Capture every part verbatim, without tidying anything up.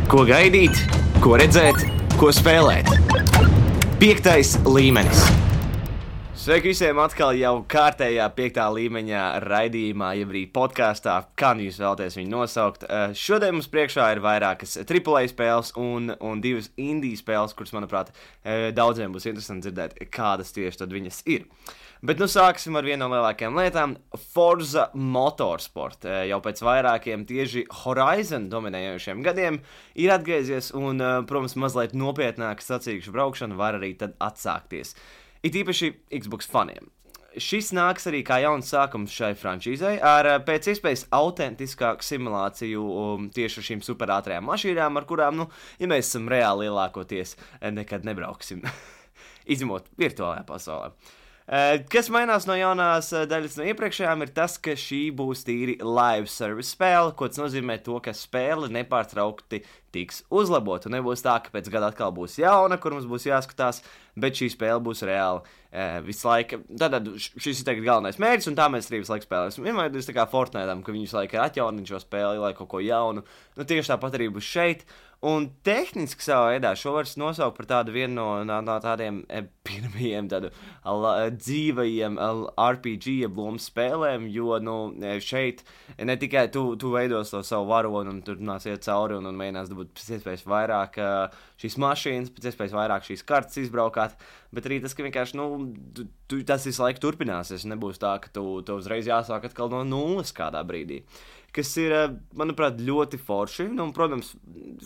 Ko gaidīt, ko redzēt, ko spēlēt. Piektais līmenis. Sveiki visiem atkal jau kārtējā piektā līmeņa raidījumā, jeb arī podkāstā, kā nu jūs vēlaties viņu nosaukt. Šodien mums priekšā ir vairākas triple A spēles un, un divas indie spēles, kuras, manuprāt, daudziem būs interesanti dzirdēt, kādas tieši tad viņas ir. Bet nu sāksim ar vienu no lielākajām lietām – Forza Motorsport. Jau pēc vairākiem tieši Horizon dominējošiem gadiem ir atgriezies un, protams, mazliet nopietnāka sacīkšu braukšana var arī tad atsākties. It īpaši Xbox faniem. Šis nāks arī kā jauns sākums šai frančīzei ar pēc iespējas autentiskāku simulāciju um, tieši ar šīm superātrajām mašīnām, ar kurām, nu, ja mēs esam reāli lielākoties, nekad nebrauksim. Izņemot virtuālajā pasaulē. Kas mainās no jaunās daļas no iepriekšējām ir tas, ka šī būs tīri live service spēle, ko tas nozīmē to, ka spēle nepārtraukti tiks uzlabota. Un nebūs tā, ka pēc gada atkal būs jauna, kur mums būs jāskatās, bet šī spēle būs reāli e, visu laiku. Tad šis ir tagad galvenais mērķis, un tā mēs arī visu laiku spēlēsim. Vienmēr tas tā kā Fortnite'am, ka viņi visu laiku ir atjaunini šo spēli, lai kaut ko jaunu. Nu, tieši tāpat arī būs šeit. Un tehniski savā veidā šo var nosaukt par tādu vienu no, no, no tādiem e, pirmajiem tādu la, dzīvajiem R P G lomu spēlēm, jo nu, šeit ne tikai tu, tu veidos to savu varonu un tur nāc iet cauri un, un mēģinās dabūt pēc iespējas vairāk uh, šīs mašīnas, pēc iespējas vairāk šīs kartas izbraukāt, bet arī tas, ka vienkārši, nu, tu, tu, tas visu laiku turpināsies, nebūs tā, ka tu, tu uzreiz jāsāk atkal no nulles kādā brīdī. Kas ir, manuprāt, ļoti forši. Nu, un, protams,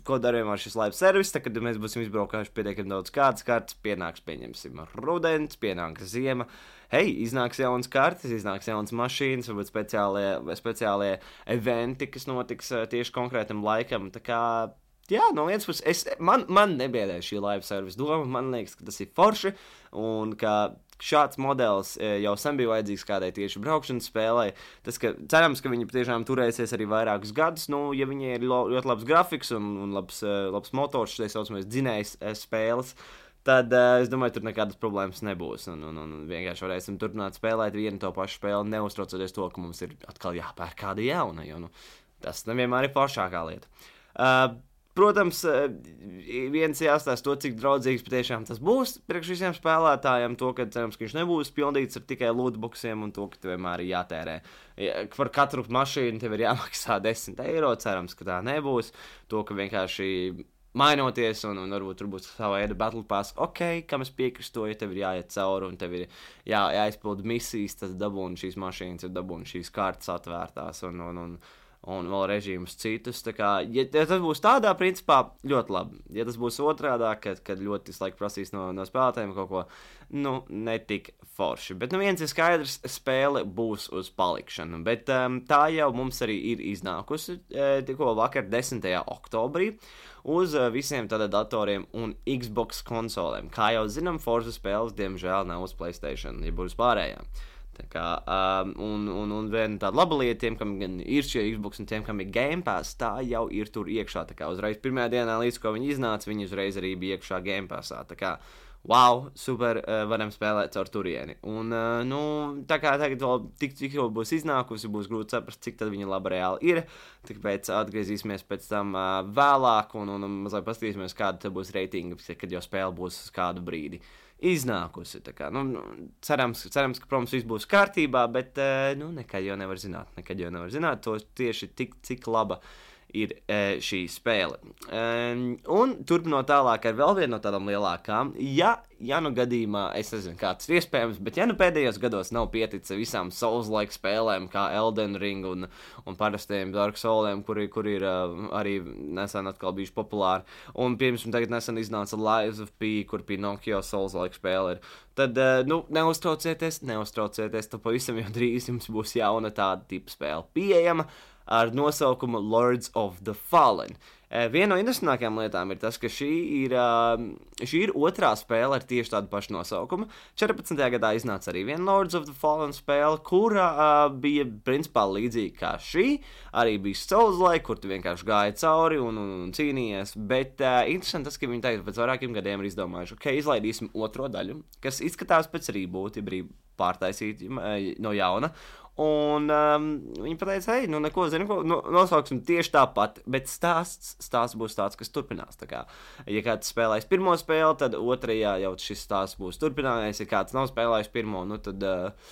ko darījām ar šis live service, tad, kad mēs būsim izbraukājuši pietiekami daudz kādas kartas, pienāks, pieņemsim, rudens, pienāks ziema, hei, iznāks jaunas kartas, iznāks jaunas mašīnas, varbūt speciālie, speciālie eventi, kas notiks tieši konkrētam laikam, tā kā, jā, no vienas puses, es, man, man nebiedē šī live service doma, man liekas, ka tas ir forši, un ka šāds modelis jau sen bija vajadzīgs kādai tieši braukšanas spēlē. Tas, ka cerams, ka viņi patiešām turēsies arī vairākus gadus, nu, ja viņi ir ļoti labs grafiks un, un labs, labs motors, šeit saucamais dzinējs spēles, tad es domāju, tur nekādas problēmas nebūs. Un, un, un vienkārši varēsim turpināt spēlēt vienu to pašu spēli, neuztraucoties to, ka mums ir atkal jāpērk kāda jauna, jo nu, tas nevienmēr ir foršākā lieta. Uh, Protams, viens jāstāsta to, cik draudzīgs patiešām tas būs priekš visiem spēlētājiem, to, ka cerams, ka viņš nebūs pildīts ar tikai lootboxiem un to, ka tev vienmēr ir jātērē. Par katru mašīnu tev ir jāmaksā desmit eiro, cerams, ka tā nebūs. To, ka vienkārši mainoties un, un varbūt tur būs sava veida battle pass, ok, kam es piekristu, ja tev ir jāiet cauri un tev ir jā, jāizpild misijas, tas dabūna šīs mašīnas, ir dabūna šīs kartas atvērtās un, un, un un vēl režīmus citus, tā kā, ja, ja tas būs tādā principā, ļoti labi. Ja tas būs otrādā, kad, kad ļoti visu laiku prasīs no, no spēlētājiem kaut ko, nu, netik forši. Bet, nu, viens ir skaidrs, spēle būs uz palikšanu, bet um, tā jau mums arī ir iznākusi e, tikko vakar desmitajā oktobrī uz uh, visiem tāda datoriem un Xbox konsolēm. Kā jau zinām, Forza spēles, diemžēl, nav uz PlayStation, ja būs pārējām. Tā kā, um, un, un, un viena tāda laba lieta tiem, kam gan ir šie Xbox un tiem, kam ir Game Pass, tā jau ir tur iekšā. Tā kā uzreiz pirmajā dienā, līdz ko viņi iznāca, viņi uzreiz arī bija iekšā Game Passā. Tā kā, wow, super, uh, varam spēlēt caur turieni. Un, uh, nu, tā kā tagad vēl tik, tik jau būs iznākusi, būs grūti saprast, cik tad viņa laba reāli ir. Tāpēc atgriezīsimies pēc tam uh, vēlāk un, un, un mazliet paskatīsimies, kāda tad būs reitinga, kad jau spēle būs uz kādu brīdi iznākusi. Tā kā, nu, cerams, cerams, ka, protams, viss būs kārtībā, bet, nu, nekad jau nevar zināt. Nekad jau nevar zināt to tieši tik, cik laba ir e, šī spēle. E, un turpinot tālāk ar vēl vienu no tādām lielākām, ja, ja nu gadījumā, es nezinu, kā tas ir iespējams, bet ja nu pēdējos gados nav pieticis visām Souls-like spēlēm, kā Elden Ring un, un parastiem Dark Souliem, kuri, kuri ir uh, arī nesen atkal bijuši populāri, un, piemēram, tagad nesen iznāca Lies of P, kur Pinocchio Souls-like spēle ir, tad, uh, nu, neuztraucieties, neuztraucieties, tad pavisam jau drīz jums būs jauna tāda tipa spēle pieejama, ar nosaukumu Lords of the Fallen. E, viena no interesantākajām lietām ir tas, ka šī ir, uh, šī ir otrā spēle ar tieši tādu pašu nosaukumu. četrpadsmitajā gadā iznāca arī viena Lords of the Fallen spēle, kura uh, bija principā līdzīga kā šī. Arī bija Souls-like, kur tu vienkārši gāji cauri un, un, un cīnījies. Bet uh, interesanti tas, ka viņi tagad pēc vairākiem gadiem ir izdomājuši, ok, izlaidīsim otro daļu, kas izskatās pēc reboot, ja brīv pārtaisīt uh, no jauna. Un um, viņi pateica, hei, nu neko, zinu, ko, no, nosauksim tieši tāpat, bet stāsts, stāsts būs tāds, kas turpinās. Tā kā, ja kāds spēlēs pirmo spēli, tad otrajā jau šis stāsts būs turpinājies. Ja kāds nav spēlējis pirmo, nu tad uh,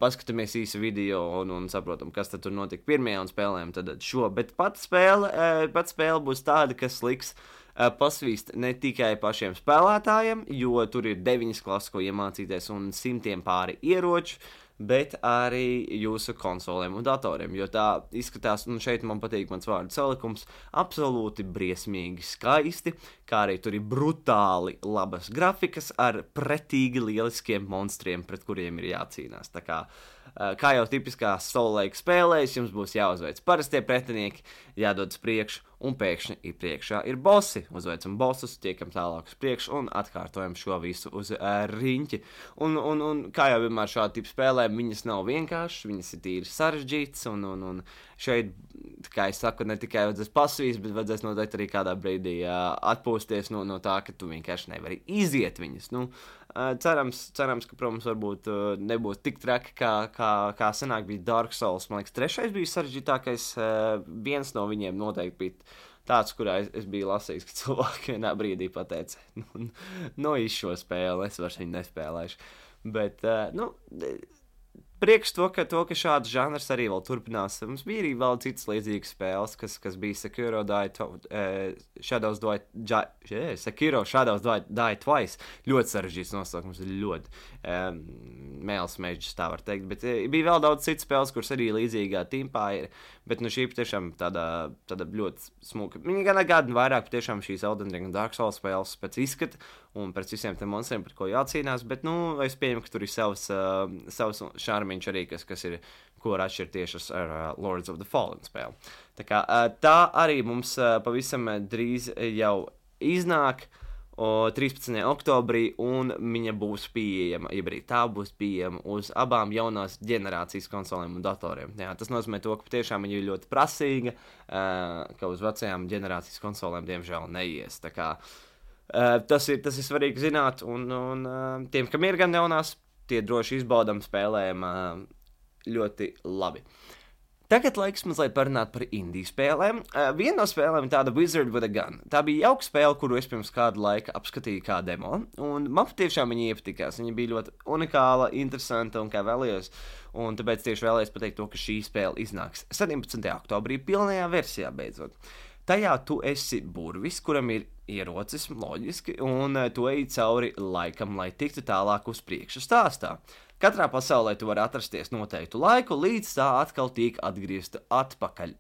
paskatāmies īsu video un, un saprotam, kas tad tur notika pirmajā un spēlējam tad šo. Bet pat spēle, uh, pat spēle būs tāda, kas liks uh, pasvīst ne tikai pašiem spēlētājiem, jo tur ir deviņas klases, ko iemācīties un simtiem pāri ieroču, bet arī jūsu konsolēm un datoriem, jo tā izskatās, un šeit man patīk mans vārdu salikums, absolūti briesmīgi skaisti, kā arī tur ir brutāli labas grafikas ar pretīgi lieliskiem monstriem, pret kuriem ir jācīnās. Tā kā, kā jau tipiskās Soul-like spēlēs, jums būs jāuzveic parastie pretinieki, jādodas priekšu, un pēkšņi ir priekšā ir bossi. Uzveicam bossus, tiekam tālāk uz priekšu un atkārtojam šo visu uz uh, riņķi. Un, un, un kā jau vienmēr šāda tipa spēlēm, viņas nav vienkāršas, viņas ir tīri sarežģītas, un, un, un šeit, kā es saku, ne tikai vajadzēs pasvīst, bet vajadzēs noteikti arī kādā brīdī uh, atpūsties no, no tā, ka tu vienkārši nevari iziet viņas. Nu, uh, cerams, cerams, ka, protams, varbūt uh, nebūs tik traki, kā, kā, kā senāk bija Dark Souls. Man liekas, trešais bija sarežģītākais, uh, viens no viņiem noteikti bija tāds, kurā es, es biju lasījis, ka cilvēki vienā brīdī pateica, nu, no iz šo spēli, es vairs viņu nespēlēšu. Bet, uh, nu, priekš to, ka, to, ka šāds žanrs arī vēl turpinās. Mums bija arī vēl citas līdzīgas spēles, kas, kas bija Sekiro Die, uh, Shadows Die, yeah, Sekiro Shadows Die, Die Twice. Ļoti sarežģīts nosaukums, ļoti um, mēls mežģis, tā var teikt. Bet uh, bija vēl daudz citas spēles, kuras arī līdzīgā timpā ir. Bet nu šī patiešām tāda, tāda ļoti smuka. Viņa gan atgādina vairāk patiešām šīs Elden Ring un Dark Souls spēles pēc izskata un pēc visiem tiem monstriem, par ko jācīnās. Bet, nu, es pieņemu, ka tur ir savs, uh, savs šarmiņš arī, kas, kas ir, ko var atšķirt tieši ar uh, Lords of the Fallen spēli. Tā kā uh, tā arī mums uh, pavisam drīz jau iznāk o, trīspadsmitajā oktobrī, un viņa būs pieejama, ja arī tā būs pieejama uz abām jaunās ģenerācijas konsolēm un datoriem. Jā, tas nozīmē to, ka patiešām viņa ir ļoti prasīga, uh, ka uz vecajām ģenerācijas konsolēm diemžēl neies. Tā kā uh, tas ir, tas ir svarīgi zināt, un, un uh, tiem, kam ir gan jaunās, tie droši izbaudam spēlēm uh, ļoti labi. Tagad laiks mazliet parunāt par indiju spēlēm. Uh, viena no spēlēm ir tāda Wizard with a Gun. Tā bija jauka spēle, kuru es pirms kādu laiku apskatīju kā demo, un man patiešām viņa iepatikās. Viņa bija ļoti unikāla, interesanta un kā vēlējos, un tāpēc tieši vēlējos pateikt to, ka šī spēle iznāks sedempadsmitajā oktobrī pilnajā versijā beidzot. Tajā tu esi burvis, kuram ir ierocis, loģiski, un uh, tu ej cauri laikam, lai tiktu tālāk uz priekšu stāstā. Katrā pasaulē tu vari atrasties noteiktu laiku, līdz tā atkal tiek atgriezta atpakaļ.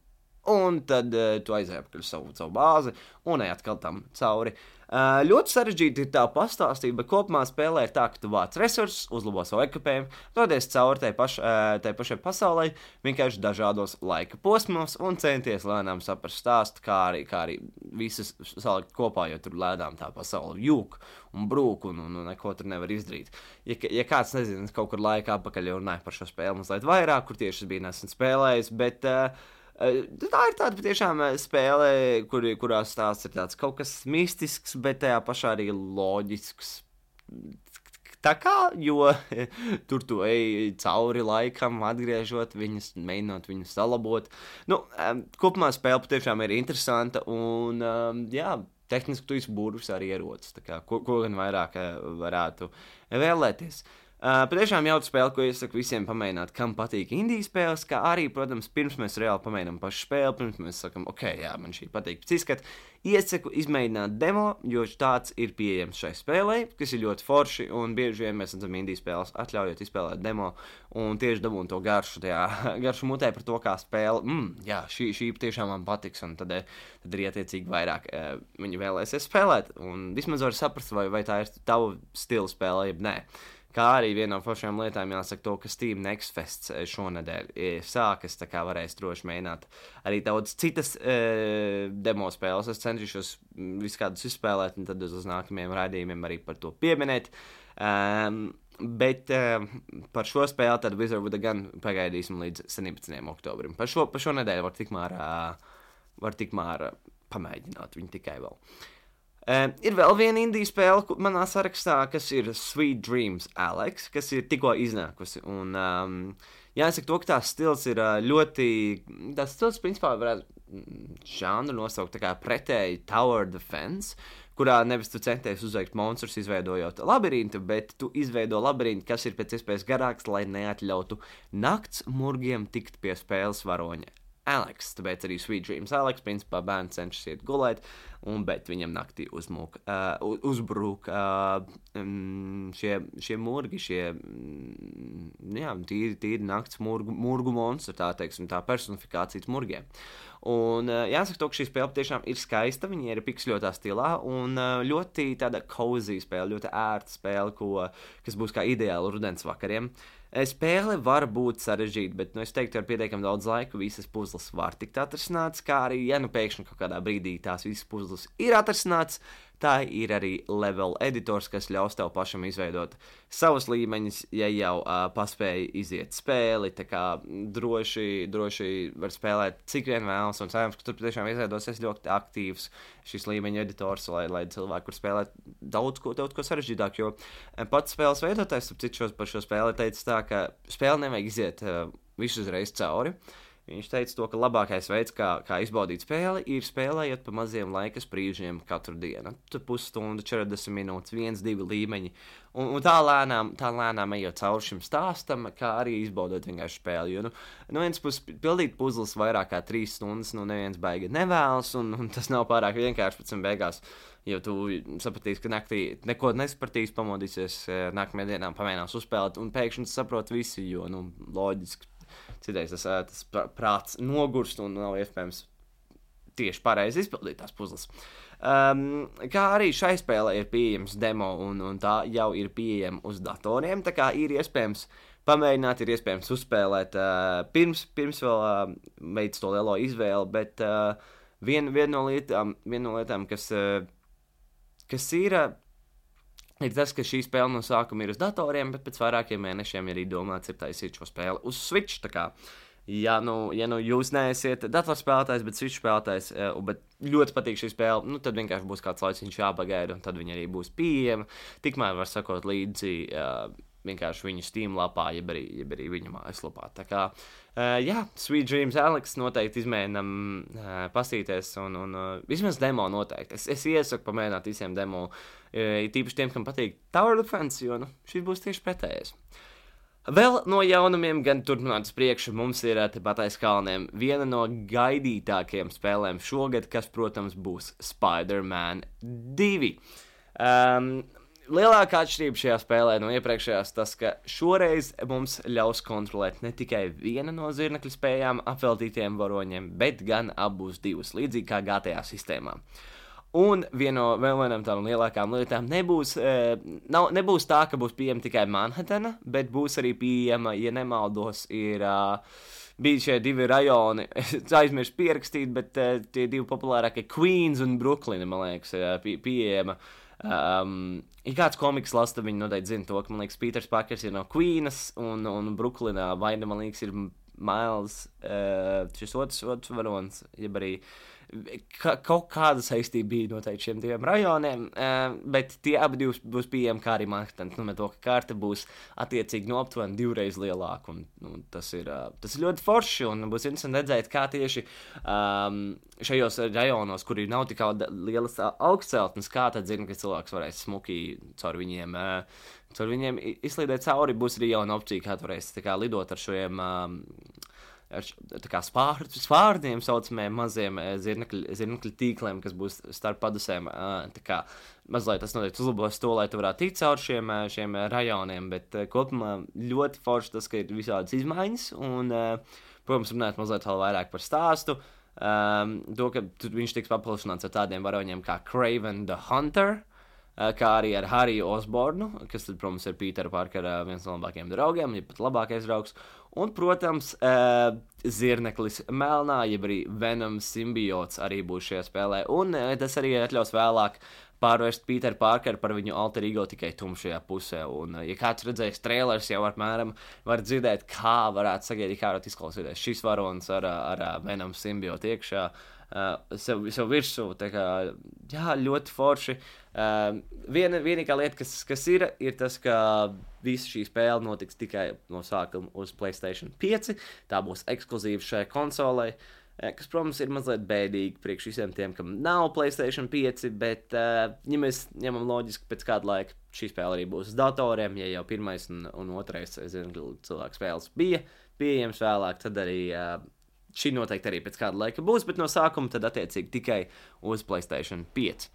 Un tad uh, tu aizēji apakaļ savu, savu bāzi un ej atkal tam cauri. Uh, ļoti sarežģīti ir tā pastāstība, bet kopumā spēlē ir tā, ka tu vāc resursus, uzlabo savu ekipējumu, dodies cauri tai, paš, uh, tai pašai pasaulē, vienkārši dažādos laika posmos un centies lēnām saprast stāstu, kā arī, kā arī visas salikt kopā, jo tur lēnām tā pasaule jūk un brūk un, un, un neko tur nevar izdarīt. Ja, ja kāds nezina, kaut kur laikā apakaļ jau runāja par šo spēli mazliet vairāk, kur tieši es biju nesen spēlējis, bet uh, tā ir tāda patiešām spēle, kur, kurā stāsts ir tāds kaut kas mistisks, bet tajā pašā arī loģisks. Tā kā, jo tur tu ej cauri laikam, atgriežot viņus, mēģinot viņus salabot. Nu, kopumā spēle patiešām ir interesanta un, jā, tehniski tu esi burvis arī ierocis, tā kā, ko, ko gan vairāk varētu vēlēties. Uh, patiešām jauka spēle, ko iesaku visiem pamēģināt, kam patīk indiju spēles, kā arī, protams, pirms mēs reāli pamēģinām pašu spēli, pirms mēs sakam, ok, jā, man šī patīk pēc izskata, iesaku izmēģināt demo, jo tāds ir pieejams šai spēlei, kas ir ļoti forši, un bieži vien mēs redzam indiju spēles atļaujot izspēlēt demo, un tieši dabūn to garšu, tajā garšu mutē par to, kā spēle, mm, jā, šī, šī tiešām man patiks, un tad, tad arī attiecīgi vairāk uh, viņi vēlēsies spēlēt, un vismaz var saprast, vai, vai tā ir tavu stilu spēle, jeb nē. Kā arī viena no foršām lietām jāsaka to, ka Steam Next Fest šonedēļ sākas, tā kā varēs droši mēģināt arī daudz citas e, demo spēles. Es cenšos visu kādus izspēlēt, un tad uz nākamajiem raidījumiem arī par to pieminēt. Um, bet um, par šo spēli tad Wizard with a Gun pagaidīsim līdz sedempadsmitajam oktobrim. Par šo, par šo nedēļu var tikmēr, uh, var tikmēr pamēģināt viņu tikai vēl. Uh, ir vēl viena indiju spēle manā sarakstā, kas ir Sweet Dreams Alex, kas ir tikko iznākusi. Un, um, jāsaka to, ka tās stils ir ļoti, tās stils principā varētu žanru nosaukt tā kā pretēji Tower Defense, kurā nevis tu centies uzveikt monstrus, izveidojot labirintu, bet tu izveido labirintu, kas ir pēc iespējas garāks, lai neatļautu nakts murgiem tikt pie spēles varoņa Alex. Tāpēc arī Sweet Dreams Alex, principā bērns cenšas iet gulēt, un, bet viņam naktī uzmūk, uh, uzbrūk uh, um, šie, šie murgi, šie um, jā, tīri, tīri nakts murgu, murgu monstri, tā teiksim, tā personifikācijas murgiem. Un uh, jāsaka to, ka šī spēle tiešām ir skaista, viņa ir piksļotā stilā, un uh, ļoti tāda cozy spēle, ļoti ērta spēle, ko, kas būs kā ideāli rudens vakariem. Spēle var būt sarežģīta, bet nu, es teiktu, ar pietiekami daudz laika visas puzles var tikt atrisināts, kā arī, ja nu pēkšņi kaut kādā brīdī tās visas puzles ir atrisināts, tā ir arī level editors, kas ļaus tev pašam izveidot savus līmeņus, ja jau uh, paspēji iziet spēli, tā kā droši, droši var spēlēt cik vien vēlas, un cerams, ka tur tiešām izveidosies ļoti aktīvs šis līmeņa editors, lai, lai cilvēki var spēlēt daudz ko, daudz ko sarežģītāk, jo pats spēles veidotājs, ap citu par šo spēli teica tā, ka spēli nevajag iziet uh, visu uzreiz cauri. Viņš teica to, ka labākais veids, kā, kā izbaudīt spēli, ir spēlējot pa maziem laikas brīžiem katru dienu. Tur pusstunda, četrdesmit minūtes, viens, divi līmeņi. Un, un tā lēnām, tā lēnām ejot cauri šim stāstam, kā arī izbaudot vienkārši spēli. Jo, nu, no vienas puses pildīt puzles vairāk kā trīs stundas, nu neviens baigi nevēlas, un, un tas nav pārāk vienkārši pēc tam beigās. Jo tu sapratīsi, ka naktī neko nesapratīs, pamodīsies, nākamajā dienā pamēģinās uzspēlēt, un pēkšņi saprot visi, jo, nu, loģiski. Citreiz tas, tas prāts nogurst un nav iespējams tieši pareizi izpildīt tās puzles. Um, kā arī šai spēlē ir pieejams demo un, un tā jau ir pieejama uz datoriem, tā kā ir iespējams pamēģināt, ir iespējams uzspēlēt uh, pirms, pirms vēl uh, veids to lielo izvēli, bet uh, viena vien no lietām, vien no lietām kas, uh, kas ir... Uh, Ir tas, ka šī spēle no sākuma ir uz datoriem, bet pēc vairākiem mēnešiem arī domāts ir taisīt šo spēli uz Switch. Tā kā, ja nu, ja nu jūs neesiet datorspēlētājs, bet Switch spēlētājs, bet ļoti patīk šī spēle, nu tad vienkārši būs kāds laiciņš jāpagaida, un tad viņa arī būs pieejama. Tikmēr var sakot līdzi uh, vienkārši viņu Steam lapā, jeb arī, jeb arī viņa mājaslapā. Tā kā, uh, jā, Sweet Dreams Alex noteikti izmēģinam uh, pastīties, un, un uh, vismaz demo noteikti. Es, es iesaku pamēģināt visiem demo, uh, tīpaši tiem, kam patīk Tower Defense, jo nu, šis būs tieši pretējais. Vēl no jaunumiem, gan turpināt uz priekšu, mums ir tepat aiz kalniem viena no gaidītākajām spēlēm šogad, kas, protams, būs Spider-Man divi. Um, Lielākā atšķirība šajā spēlē no iepriekšējās tas, ka šoreiz mums ļaus kontrolēt ne tikai viena no zirnekļa spējām apveltītiem varoņiem, bet gan abus divus, līdzīgi kā G T A sistēmā. Un viena no vēl vienām tādām lielākām lietām nebūs, e, nav, nebūs tā, ka būs pieejama tikai Manhattana, bet būs arī pieejama, ja nemaldos, ir uh, bija šie divi rajoni, es aizmirsu pierakstīt, bet uh, tie divi populārākie Queens un Brooklyn, man liekas, uh, pie, pieejama. Um, ja kāds komiks lasa, viņi noteikti zina to, ka, man liekas, Peters Parkers ir no Queenas, un, un Brooklynā vaina, man liekas, ir Miles, uh, šis otrs, otrs varonis, jeb arī ka, kaut kāda saistība bija noteikti šiem diviem rajoniem, uh, bet tie abi divs būs pieejami kā arī Manhattan, nu, to, ka karta būs attiecīgi no aptuveni divreiz lielāka, un nu, tas, ir, uh, tas ir ļoti forši, un būs interesanti redzēt, kā tieši um, šajos rajonos, kuri nav tik lielas augstceltnes, kā tad zina, ka cilvēks varēs smuki caur viņiem, uh, caur viņiem izslīdēt cauri, būs arī jauna opcija, kā varēs tā kā lidot ar šiem um, ar tā kā spār, spārniem saucamiem maziem zirnekļu, zirnekļu tīkliem, kas būs starp padusēm. Tā kā mazliet tas noteikti uzlabos to, lai tu varētu tikt caur šiem, šiem rajoniem, bet kopumā ļoti forši tas, ka ir visādas izmaiņas, un, protams, runāt mazliet vēl vairāk par stāstu. Um, to, ka viņš tiks paplašināts ar tādiem varoņiem kā Kraven the Hunter, kā arī ar Hariju Osbornu, kas, tad, protams, ir Petera Parkera viens no labākajiem draugiem, ja pat labākais draugs. Un, protams, uh, zirneklis melnā, jeb arī Venom simbiots arī būs šajā spēlē. Un uh, tas arī atļaus vēlāk pārvērst Peteru Parkeru par viņu alter ego tikai tumšajā pusē. Un, uh, ja kāds redzējis trailers, jau apmēram var dzirdēt, kā varētu sagaidīt, kā varētu izklausīties šis varonis ar, ar, ar Venom simbiotu iekšā. Uh, sev, sev virsū, tā kā jā, ļoti forši. Uh, viena, vienīgā lieta, kas, kas ir, ir tas, ka visa šī spēle notiks tikai no sākuma uz PlayStation pieci. Tā būs ekskluzīva šai konsolei, kas, protams, ir mazliet bēdīgi priekš visiem tiem, kam nav PlayStation pieci, bet, uh, ja mēs ņemam loģiski pēc kāda laika, šī spēle arī būs uz datoriem, ja jau pirmais un, un otrais, es zinu, cilvēku spēles bija pieejams vēlāk, tad arī uh, šī noteikti arī pēc kāda laika būs, bet no sākuma tad attiecīgi tikai uz PlayStation pieci.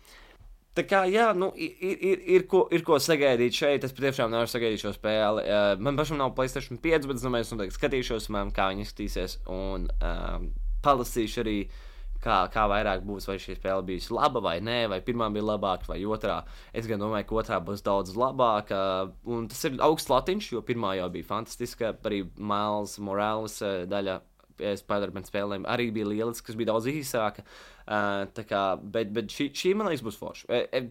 Tā kā, jā, nu, ir, ir, ir, ko, ir ko sagaidīt šeit, es patiešām nevaru sagaidīt šo spēli. Uh, man pašam nav PlayStation pieci, bet es domāju, es noteikti skatīšos, man, kā viņi izskatīsies, un uh, palasīšu arī, kā, kā vairāk būs, vai šī spēle bijusi laba vai nē, vai pirmā bija labāka, vai otrā. Es gan domāju, ka otrā būs daudz labāka, un tas ir augsts latiņš, jo pirmā jau bija fantastiska, arī Miles Morales daļa Spider-Man spēlēm arī bija lieliski, kas bija daudz īsāka, uh, tā kā, bet, bet šī, šī, man liekas, būs forša. E, e,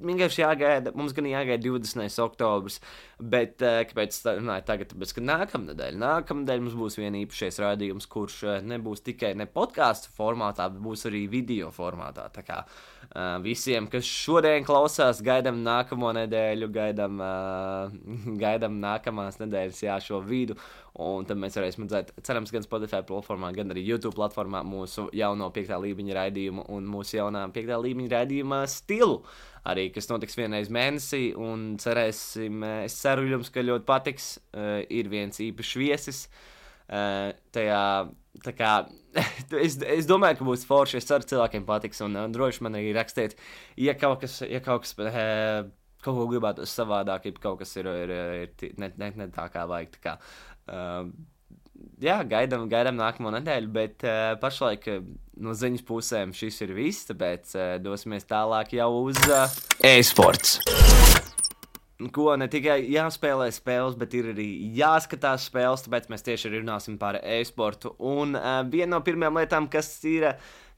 Vienkārši jāgaida, mums gan jāgaida divdesmitais oktobris, bet uh, kāpēc tā runāju tagad, tāpēc, ka nākamnedēļ, nākamnedēļ mums būs vien īpašais rādījums, kurš uh, nebūs tikai ne podcastu formātā, bet būs arī video formātā, tā kā uh, visiem, kas šodien klausās, gaidam nākamo nedēļu, gaidam, uh, gaidam nākamās nedēļas, jā, šo vidu, un tad mēs varēsim redzēt, cerams, gan Spotify platformā, gan arī YouTube platformā mūsu jauno piektā līmeņa raidījumu un mūsu jaunā piektā līmeņa raidījuma stilu. Arī, kas notiks vienreiz mēnesī, un cerēsim, es ceru jums, ka ļoti patiks, uh, ir viens īpašs viesis, uh, tajā, tā kā, es, es domāju, ka būs forši, es ceru, cilvēkiem patiks, un, un droši man arī rakstiet, ja kaut kas, ja kaut kas, uh, kaut ko gribētu savādāk, ja kaut kas ir, ir, ir ne, ne, ne tā kā vajag, tā kā, uh, jā, gaidam, gaidam nākamo nedēļu, bet uh, pašlaik uh, no ziņas pusēm šis ir viss, tāpēc uh, dosimies tālāk jau uz uh, e-sports. Ko ne tikai jāspēlē spēles, bet ir arī jāskatās spēles, tāpēc mēs tieši arī runāsim par e-sportu. Un uh, viena no pirmajām lietām, kas ir,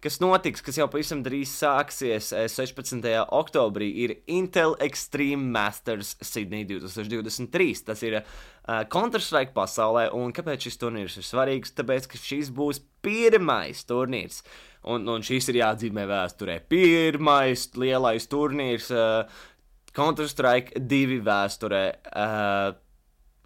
kas notiks, kas jau pavisam drīz sāksies sešpadsmitajā oktobrī, ir Intel Extreme Masters Sydney divtūkstoš divdesmit trīs. Tas ir uh, Counter-Strike pasaulē, un kāpēc šis turnīrs ir svarīgs? Tāpēc, ka šis būs pirmais turnīrs, un, un šis ir jāatzīmē vēsturē. Pirmais lielais turnīrs uh, Counter-Strike divi vēsturē, uh,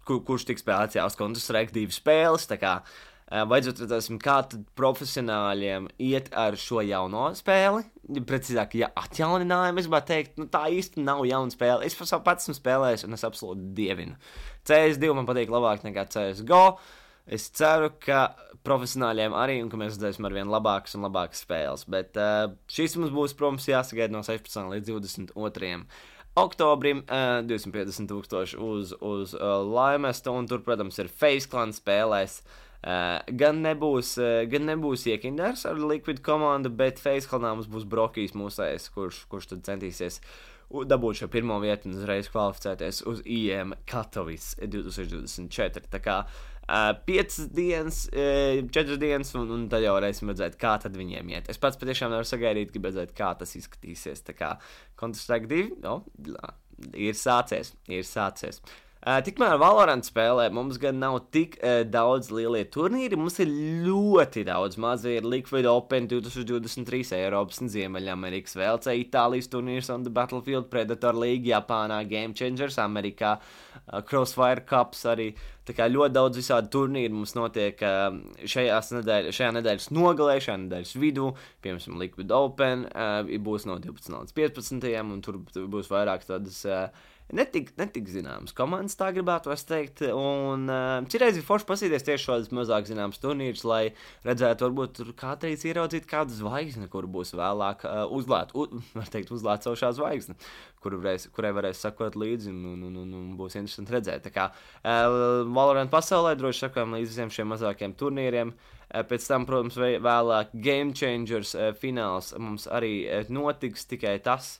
kur, kurš tiks spēlēts jau uz Counter-Strike divi spēles, tā kā uh, vajadzot redzēsim, kā tad profesionāļiem iet ar šo jauno spēli, precīzāk, ja atjauninājumu, es gribētu teikt, nu tā īsti nav jauna spēle, es par savu pats esmu spēlējis un es absolūti dievinu. C S divi man patīk labāk nekā C S G O, es ceru, ka profesionāļiem arī, un ka mēs redzēsim ar vien labākas un labākas spēles, bet uh, šīs mums būs, protams, jāsagaida no sešpadsmitā līdz divdesmit otrajam oktobrim, uh, divsimt piecdesmit tūkstoši uz, uz uh, Limesta, un tur, protams, ir Face Clan spēlēs. Uh, gan nebūs, uh, gan nebūs Iekinders ar Liquid komandu, bet Face Clanā mums būs Brokijs mūsējs, kurš, kurš tad centīsies dabūt šo pirmo vietu un uzreiz kvalificēties uz I M Katovice divtūkstoš divdesmit četri. Tā kā uh, piecas dienas, uh, četras dienas, un, un tad jau varēsim redzēt, kā tad viņiem iet. Es pats patiešām nevaru sagaidīt, gribu redzēt, kā tas izskatīsies. Tā kā Counter-Strike divi, no, ir sācies, ir sācies. Uh, tikmēr Valorant spēlē mums gan nav tik uh, daudz lielie turnīri, mums ir ļoti daudz mazi, ir Liquid Open divtūkstoš divdesmit trīs, Eiropas un Ziemeļamerikas, V L C, Itālijas turnīrs on the Battlefield, Predator League, Japānā, Game Changers, Amerikā, uh, Crossfire Cups arī, tā kā ļoti daudz visādi turnīri mums notiek uh, šajās nedēļ, šajā nedēļas nogalē, šajā nedēļas vidū, piemēram, Liquid Open, uh, būs no divpadsmitā līdz piecpadsmitajam, un tur būs vairāk tādas uh, Netik, netik zināmas komandas, tā gribētu es teikt, un uh, citreiz ir forši pasīties tieši šādas mazāk zināmas turnīrus, lai redzētu, varbūt tur kādreiz ieraudzīt kādu zvaigzni, kur būs vēlāk uh, uzlēt, u, var teikt, uzlēcošā zvaigzne, kur varēs, kurai varēs sakot līdzi, un, un, un, un būs interesanti redzēt. Tā kā uh, Valorant pasaulē droši sakojam līdz visiem šiem mazākiem turnīriem. Uh, pēc tam, protams, vēlāk Game Changers uh, fināls mums arī uh, notiks, tikai tas.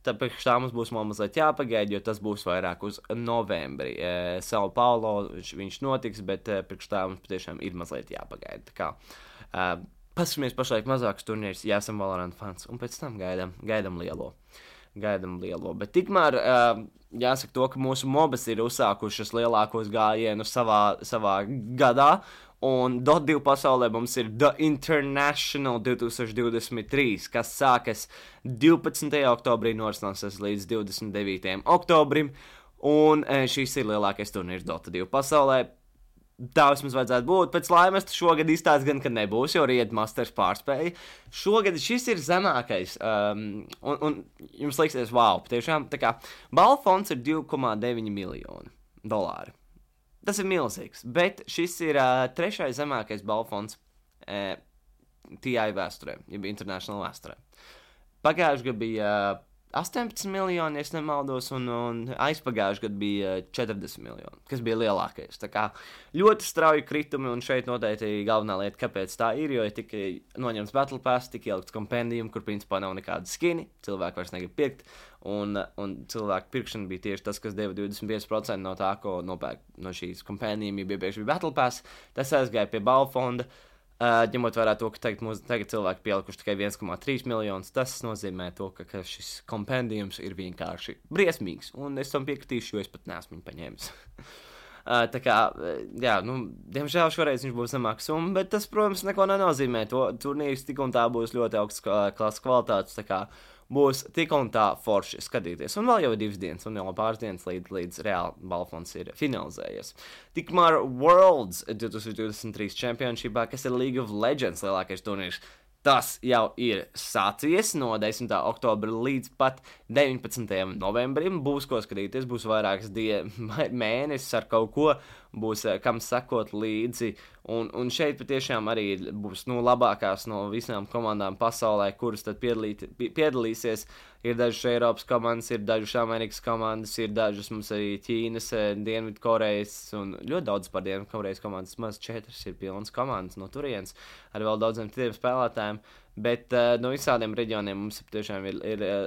Tāpēc tā mums būs mazliet jāpagaida, jo tas būs vairāk uz novembri. E, Sao Paulo viņš notiks, bet e, priekš tā mums patiešām ir mazliet jāpagaida. Tā kā e, paskatāmies pašlaik mazākus turnīrus, ja esam Valorant fans, un pēc tam gaidām, gaidām lielo. Gaidām lielo. Bet tikmēr e, jāsaka to, ka mūsu mobas ir uzsākušas lielākos gājienus savā, savā gadā, Un Dota divi pasaulē mums ir The International divtūkstoš divdesmit trīs, kas sākas divpadsmitajā oktobrī, norisināsies līdz divdesmit devītajam oktobrim. Un šis ir lielākais turnīrs Dota divi pasaulē. Tā vismaz vajadzētu būt. Pēc laimes šogad izstāsts gan, ka nebūs, jo Ried Masters pārspēja. Šogad šis ir zemākais. Um, un, un jums liksies, wow, patiešām, tā kā balvu fonds ir divi komā deviņi miljoni dolāri. Tas ir milzīgs, bet šis ir uh, trešais zemākais balvu fonds uh, T I vēsturē, jeb International vēsturē. Pagājuši gadu bija uh, astoņpadsmit miljoni, ja nemaldos, un, un aizpagājuši gadu bija četrdesmit miljoni, kas bija lielākais. Tā kā ļoti strauji kritumi, un šeit noteikti galvenā lieta, kāpēc tā ir, jo ir tikai noņemts Battle Pass, tik ielikts kompendijum, kur principā nav nekāda skini, cilvēki vairs negrib pirkt, un, un cilvēku pirkšana bija tieši tas, kas deva divdesmit pieci procenti no tā, ko nopērk no šīs kompendijum, ja iepriekš bija Battle Pass. Tas aizgāja pie balvu fonda. Uh, ņemot vērā to, ka tagad, mūs, tagad cilvēki pielikuši tikai viens komā trīs miljonus, tas nozīmē to, ka, ka šis kompendijums ir vienkārši briesmīgs, un es tam piekritīšu, jo es pat neesmu viņu paņēmis. uh, tā kā, jā, nu, diemžēl šoreiz viņš būs zemāks summa, bet tas, protams, neko nenozīmē. To turnīrs tik un tā būs ļoti augsts klases kvalitātes, tā kā būs tik un tā forši skatīties. Un vēl jau ir divas dienas, un jau pāris dienas līdz, līdz reāli balfons ir finalizējies. Tikmēr Worlds divtūkstoš divdesmit trīs Championshipā, kas ir League of Legends lielākais turnīrs, tas jau ir sācies no desmitā oktobra līdz pat deviņpadsmitajam novembrim. Būs ko skatīties, būs vairākas dienas, mēnesis ar kaut ko, būs kam sekot līdzi. Un, un šeit patiešām arī būs nu, labākās no visām komandām pasaulē, kuras tad piedalīt, piedalīsies. Ir dažas Eiropas komandas, ir dažas Amerikas komandas, ir dažas mums arī Ķīnas, Dienvidkorejas un ļoti daudz par Dienvidkorejas komandas. Maz četras ir pilnas komandas no turienes ar vēl daudziem citiem spēlētājiem. Bet uh, no visādiem reģioniem mums tiešām ir, ir uh,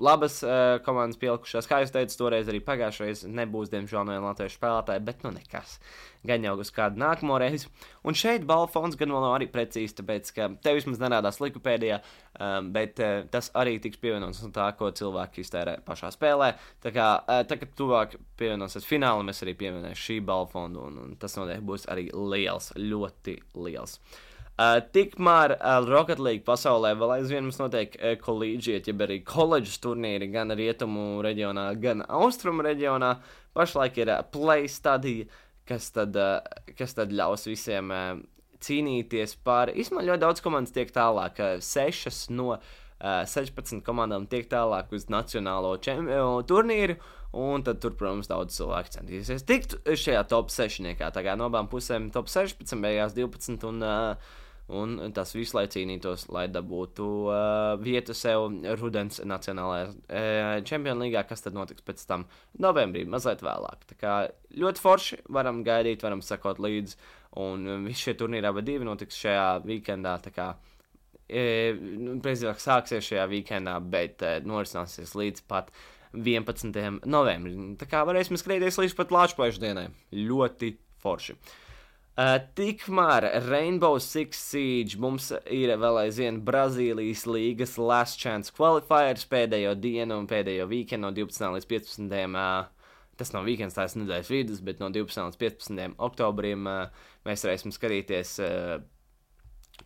labas uh, komandas pielikušās. Kā jūs teicat, toreiz arī pagājušreiz nebūs, diemžēl, no viena latviešu spēlētāja, bet nu nekas. Gan jau uz kādu nākamo reizi. Un šeit balvu fonds gan vēl nav arī precīzi, tāpēc, ka tev vismaz nerādās Likupēdijā, um, bet uh, tas arī tiks pievienots no tā, ko cilvēki iztērē pašā spēlē. Tā kā, uh, tā, kad tuvāk pievienosies fināli, mēs arī pievienosim šī balvu fondu, un, un tas noteikti būs arī liels, ļoti liels. Uh, tikmēr uh, Rocket League pasaulē vēl aizvien mums notiek uh, collegiate, jeb arī koledžas turnīri gan rietumu reģionā, gan austrumu reģionā. Pašlaik ir uh, play study, kas tad, uh, kas tad ļaus visiem uh, cīnīties par, īstenībā ļoti daudz komandas tiek tālāk, uh, sešas no uh, sešpadsmit komandām tiek tālāk uz nacionālo čempionu turnīru, un tad tur, protams, daudz cilvēku centīsies tikt šajā top sešniekā, tā kā no abām pusēm top sešpadsmit, beigās divpadsmit, un, uh, un tas viss, lai cīnītos, lai dabūtu uh, vietu sev rudens nacionālajā uh, čempionu līgā, kas tad notiks pēc tam novembrī, mazliet vēlāk. Tā kā ļoti forši, varam gaidīt, varam sakot līdzi, un um, visi šie turnīri abi divi notiks šajā weekendā, tā kā e, precīzāk sāksies šajā weekendā, bet e, norisināsies līdz pat vienpadsmitajam novembrim. Tā kā varēsim skrieties līdz pat Lāčplēšu dienai. Ļoti forši. Uh, tikmēr Rainbow Six Siege mums ir vēl aizvien Brazīlijas līgas Last Chance Qualifiers pēdējo dienu un pēdējo weekendu no divpadsmitā līdz piecpadsmitajam Uh, tas nav weekends, tās nedēļas vidus, bet no divpadsmitā līdz piecpadsmitajam oktobrim uh, mēs varēsim skatīties uh,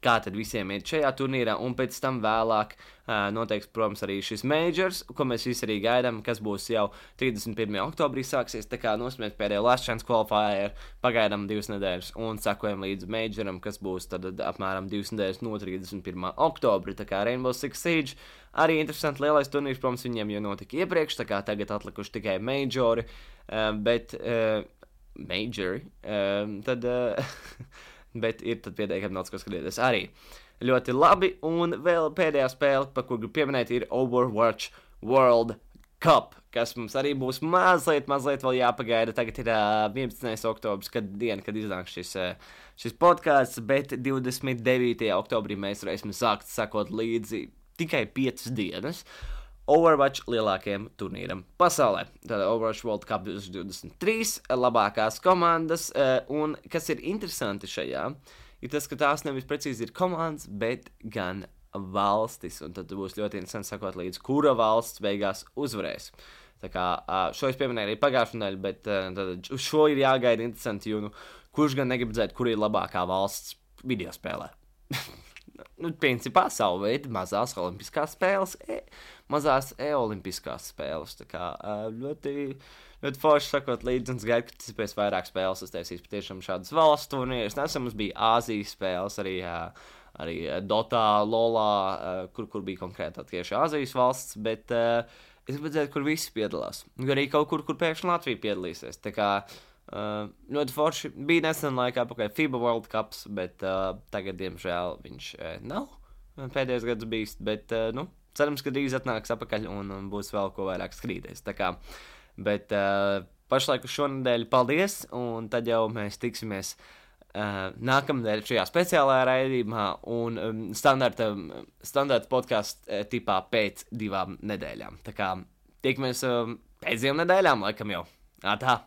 kā tad visiem iet šajā turnīrā, un pēc tam vēlāk uh, noteiks, protams, arī šis majors, ko mēs visi arī gaidām, kas būs jau trīsdesmit pirmajā oktobrī sāksies, tā kā nosmiet pēdējo Last Chance Qualifier, pagaidām divas nedēļas, un sakojam līdz majoram, kas būs tad apmēram divas nedēļas no trīsdesmit pirmā oktobra, tā kā Rainbow Six Siege, arī interesanti lielais turnīrs, protams, viņiem jau notika iepriekš, tā kā tagad atlikuši tikai majori, uh, bet uh, majori, uh, tad... Uh, bet ir tad pietiekami daudz, ko skatīties arī. Ļoti labi, un vēl pēdējā spēle, par kur gribu pieminēt, ir Overwatch World Cup, kas mums arī būs mazliet, mazliet vēl jāpagaida. Tagad ir uh, vienpadsmitais oktobris, kad diena, kad iznāk šis, uh, šis podcasts, bet divdesmit devītajā oktobrī mēs varēsim sākt sakot līdzi tikai piecas dienas Overwatch lielākajam turnīram pasaulē. Tātad Overwatch World Cup divdesmit trīs, labākās komandas, un kas ir interesanti šajā, ir tas, ka tās nevis precīzi ir komandas, bet gan valstis, un tad būs ļoti interesanti sakot līdz, kura valsts beigās uzvarēs. Tā kā šo es pieminēju arī pagājušajā nedēļā, bet tad uz šo ir jāgaida interesanti, jo nu, kurš gan negrib redzēt, kur ir labākā valsts video spēlē. nu, principā savu veidu mazās olimpiskās spēles, e, mazās e-olimpiskās spēles. Tā kā ļoti, ļoti forši sakot līdzi, un es gaidu, ka tas pēc vairāk spēles uztaisīs patiešām šādas valsts turnīrus. Nesen mums bija Āzijas spēles, arī, arī Dotā, Lolā, kur, kur bija konkrēti tieši Āzijas valsts, bet es gribu redzēt, kur visi piedalās. Arī kaut kur, kur pēkšņi Latvija piedalīsies. Tā kā uh, ļoti forši bija nesen laikā pakaļ FIBA World Cups, bet uh, tagad, diemžēl, viņš uh, nav pēdējos gadus bijis. Bet, uh, nu, cerams, ka drīz atnāks apakaļ un, un būs vēl ko vairāk skrīties. Tā kā, bet uh, pašlaik uz šonedēļ paldies, un tad jau mēs tiksimies Uh, nākamnedēļ šajā speciālajā raidījumā un um, standarta, standarta podkāstu uh, tipā pēc divām nedēļām. Tā kā tiekamies um, pēc divām nedēļām, laikam jau. Ā, tā.